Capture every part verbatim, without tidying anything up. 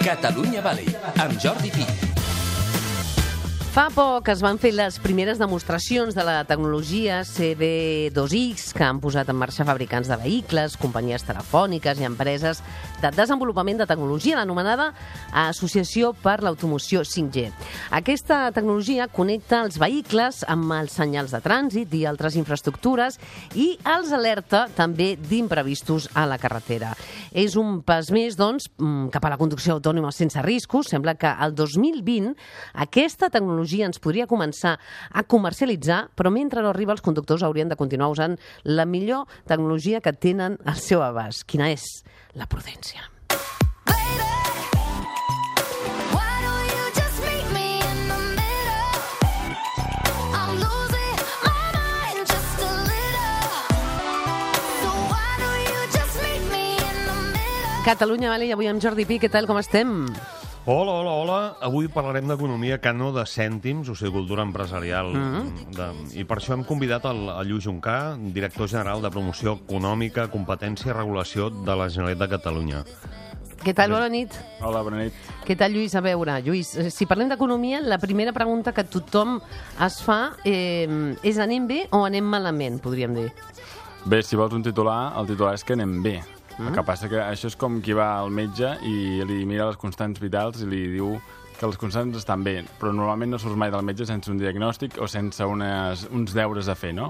Catalunya Valley, amb Jordi Pi. Fa poc es van fer les primeres demostracions de la tecnologia C B dos X que han posat en marxa fabricants de vehicles, companyies telefòniques i empreses de desenvolupament de tecnologia, l'anomenada Associació per l'Automoció cinc G. Aquesta tecnologia connecta els vehicles amb els senyals de trànsit i altres infraestructures i els alerta també d'imprevistos a la carretera. És un pas més, doncs, cap a la conducció autònoma sense riscos. Sembla que el dos mil vint aquesta tecnologia ens podria començar a comercialitzar, però mentre no arriba els conductors haurien de continuar usant la millor tecnologia que tenen al seu abast. Quina és? La prudència. Catalunya Valley, avui amb Jordi Pi. Què tal, com estem? Hola, hola, hola. Avui parlarem d'economia que no de cèntims, o sigui, cultura empresarial. Mm-hmm. de, I per això hem convidat el, el Lluís Juncà, director general de Promoció Econòmica, Competència i Regulació de la Generalitat de Catalunya. Què tal? Bona nit. Hola, bona nit. Què tal, Lluís? A veure, Lluís, si parlem d'economia, la primera pregunta que tothom es fa eh, és anem bé o anem malament, podríem dir? Bé, si vols un titular, el titular és que anem bé. Mm. El que passa que això és com qui va al metge i li mira les constants vitals i li diu que les constants estan bé, però normalment no surts mai del metge sense un diagnòstic o sense unes, uns deures a fer, no?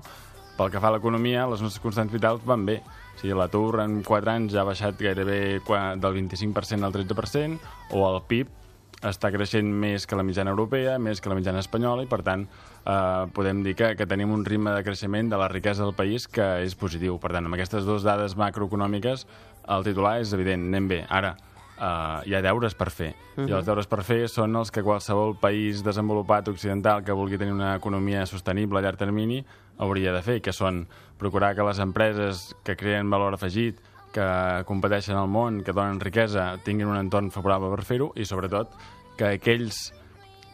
Pel que fa a l'economia, les nostres constants vitals van bé. O sigui, l'atur en quatre anys ja ha baixat gairebé del vint-i-cinc per cent al tretze per cent, o el P I B està creixent més que la mitjana europea, més que la mitjana espanyola, i per tant eh, podem dir que, que tenim un ritme de creixement de la riquesa del país que és positiu. Per tant, amb aquestes dues dades macroeconòmiques, el titular és evident, anem bé. Ara, eh, hi ha deures per fer, uh-huh. i els deures per fer són els que qualsevol país desenvolupat occidental que vulgui tenir una economia sostenible a llarg termini hauria de fer, que són procurar que les empreses que creen valor afegit, que competeixen al món, que donen riquesa, tinguin un entorn favorable per fer-ho, i sobretot que aquells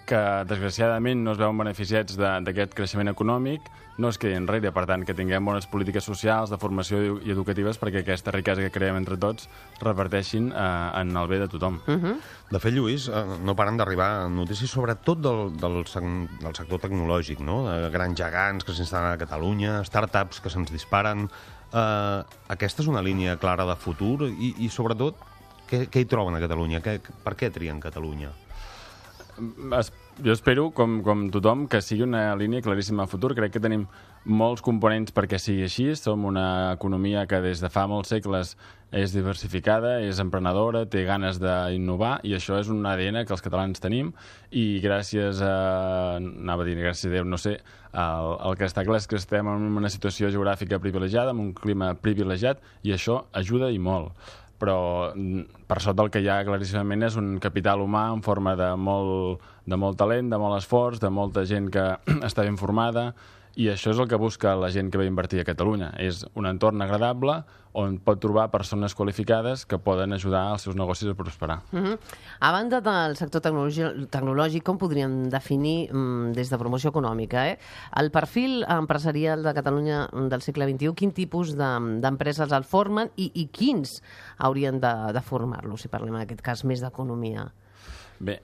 que desgraciadament no es veuen beneficiats d'aquest creixement econòmic no es quedin enrere. Per tant, que tinguem bones polítiques socials, de formació i educatives, perquè aquesta riquesa que creem entre tots reparteixin eh, en el bé de tothom. Uh-huh. De fet, Lluís, eh, no paren d'arribar notícies sobretot del, del, del sector tecnològic, no? De grans gegants que s'instal·len a Catalunya, startups que se'ns disparen. Uh, aquesta és una línia clara de futur i, i sobretot, què, què hi troben a Catalunya? Que, per què trien Catalunya? Es, jo espero, com, com tothom, que sigui una línia claríssima a futur. Crec que tenim molts components perquè sigui així. Som una economia que des de fa molts segles és diversificada, és emprenedora, té ganes d'innovar, i això és un A D N que els catalans tenim, i gràcies a... anava a dir, gràcies a Déu, no sé, el, el que està clar és que estem en una situació geogràfica privilegiada, amb un clima privilegiat, i això ajuda i molt. Però per sota el que hi ha claríssimament és un capital humà en forma de molt, de molt talent, de molt esforç, de molta gent que està ben formada, i això és el que busca la gent que ve a invertir a Catalunya. És un entorn agradable on pot trobar persones qualificades que poden ajudar els seus negocis a prosperar. Uh-huh. A banda del sector tecnològic, com podríem definir mm, des de promoció econòmica, eh? el perfil empresarial de Catalunya del segle vint-i-u, quin tipus d'empreses el formen i, i quins haurien de, de formar-lo, si parlem en aquest cas més d'economia? Bé,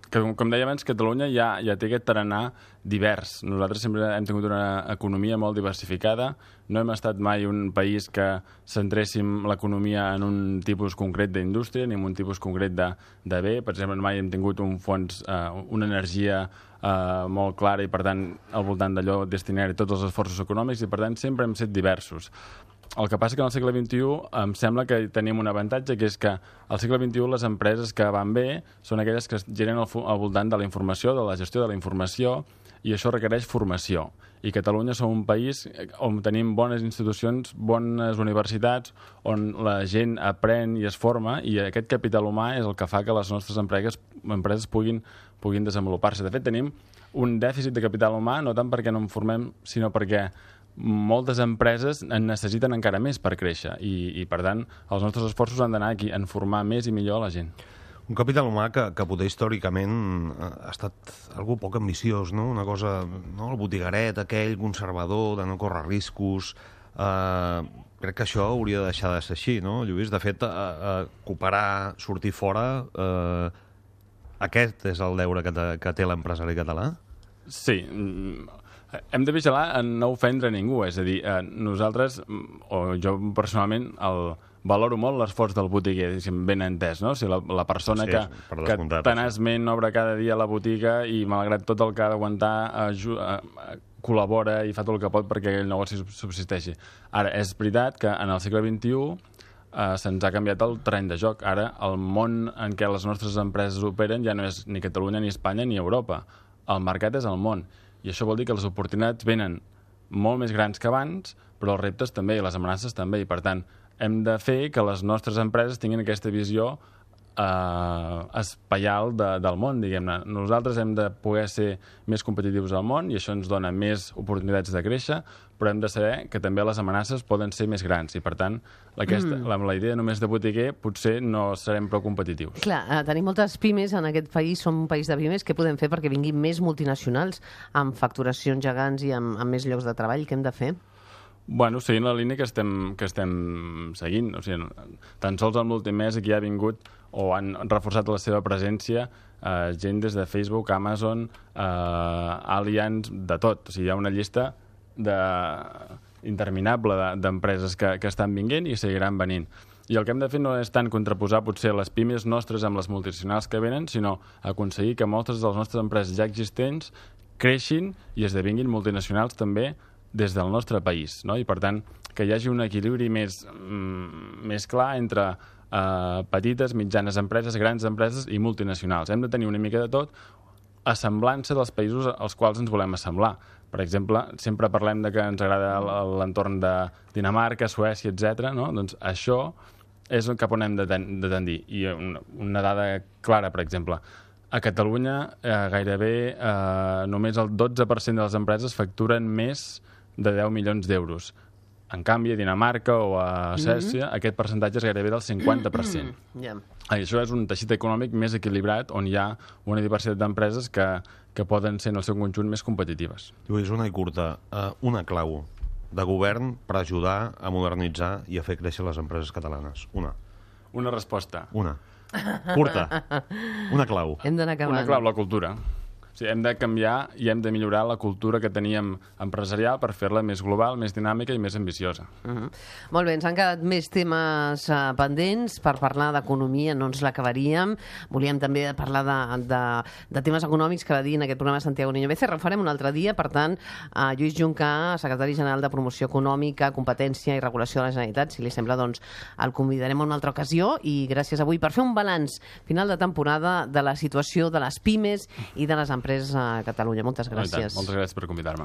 que, com deia abans, Catalunya ja, ja té aquest tarannà divers. Nosaltres sempre hem tingut una economia molt diversificada. No hem estat mai un país que centréssim l'economia en un tipus concret d'indústria ni en un tipus concret de, de bé. Per exemple, mai hem tingut un fons, eh, una energia eh, molt clara, i per tant al voltant d'allò destinar-hi tots els esforços econòmics, i per tant sempre hem set diversos. El que passa que en el segle vint-i-u em sembla que tenim un avantatge, que és que al segle vint-i-u les empreses que van bé són aquelles que es giren al, al voltant de la informació, de la gestió de la informació, i això requereix formació. I Catalunya som un país on tenim bones institucions, bones universitats, on la gent aprèn i es forma, i aquest capital humà és el que fa que les nostres empreses, empreses puguin, puguin desenvolupar-se. De fet, tenim un dèficit de capital humà, no tant perquè no en formem, sinó perquè moltes empreses en necessiten encara més per créixer, i, i per tant els nostres esforços han d'anar aquí, en formar més i millor la gent. Un capital humà que, que poder històricament ha estat algú poc ambiciós, no? Una cosa, no? El botigueret aquell, conservador, de no córrer riscos. Eh, crec que això hauria de deixar de ser així, no, Lluís? De fet, a, a cooperar, sortir fora, eh, aquest és el deure que, te, que té l'empresari català? Sí, hem de vigilar en no ofendre ningú, és a dir, eh, nosaltres, o jo personalment, el, valoro molt l'esforç del botiguer, ben entès, no? O sigui, la, la persona sí, que, que tenaçment obre cada dia a la botiga i, malgrat tot el que ha d'aguantar, eh, col·labora i fa tot el que pot perquè el negoci subsisteixi. Ara, és veritat que en el segle vint-i-u eh, se'ns ha canviat el terreny de joc. Ara, el món en què les nostres empreses operen ja no és ni Catalunya, ni Espanya, ni Europa. El mercat és el món. I això vol dir que les oportunitats venen molt més grans que abans, però els reptes també, i les amenaces també. I, per tant, hem de fer que les nostres empreses tinguin aquesta visió eh, espaial de, del món, diguem-ne. Nosaltres hem de poder ser més competitius al món i això ens dona més oportunitats de créixer, però hem de saber que també les amenaces poden ser més grans i, per tant, aquesta, mm. la, la idea només de botiguer potser no serem prou competitius. Clar, eh, tenim moltes pimes en aquest país, som un país de pimes. Què podem fer perquè vinguin més multinacionals amb facturacions gegants i amb, amb més llocs de treball? Què hem de fer? Bueno, seguint la línia que estem, que estem seguint. O sigui, tan sols amb l'últim mes aquí ha vingut o han reforçat la seva presència eh, gent des de Facebook, Amazon, eh, Allianz, de tot. O sigui, hi ha una llista de, interminable d'empreses que, que estan vinguent i seguiran venint. I el que hem de fer no és tant contraposar potser les pimes nostres amb les multinacionals que venen, sinó aconseguir que moltes de les nostres empreses ja existents creixin i esdevinguin multinacionals també des del nostre país, no? I, per tant, que hi hagi un equilibri més, mm, més clar entre eh, petites, mitjanes empreses, grans empreses i multinacionals. Hem de tenir una mica de tot, assemblança dels països als quals ens volem assemblar. Per exemple, sempre parlem de que ens agrada l'entorn de Dinamarca, Suècia, etcètera, no? Doncs això és cap on hem de, ten de tendir. I una, una dada clara, per exemple, a Catalunya eh, gairebé eh, només el dotze per cent de les empreses facturen més de deu milions d'euros. En canvi, a Dinamarca o a Suècia, mm-hmm. aquest percentatge és gairebé del cinquanta per cent. Yeah. Això és un teixit econòmic més equilibrat, on hi ha una diversitat d'empreses que, que poden ser en el seu conjunt més competitives. Lluís, una i curta. Uh, una clau de govern per ajudar a modernitzar i a fer créixer les empreses catalanes. Una. Una resposta. Una. Curta. Una clau. Hem d'anar acabant. Una clau, la cultura. O sigui, hem de canviar i hem de millorar la cultura que teníem empresarial per fer-la més global, més dinàmica i més ambiciosa. Uh-huh. Molt bé, ens han quedat més temes uh, pendents per parlar d'economia, no ens l'acabaríem. Volíem també parlar de, de, de temes econòmics que va dir en aquest programa Santiago Niño Becerra. Ho farem un altre dia, per tant, uh, Lluís Juncà, secretari general de Promoció Econòmica, Competència i Regulació de la Generalitat, si li sembla, doncs el convidarem a una altra ocasió i gràcies avui per fer un balanç final de temporada de la situació de les pimes i de les empreses a Catalunya. Moltes gràcies. Moltes gràcies per convidar-me.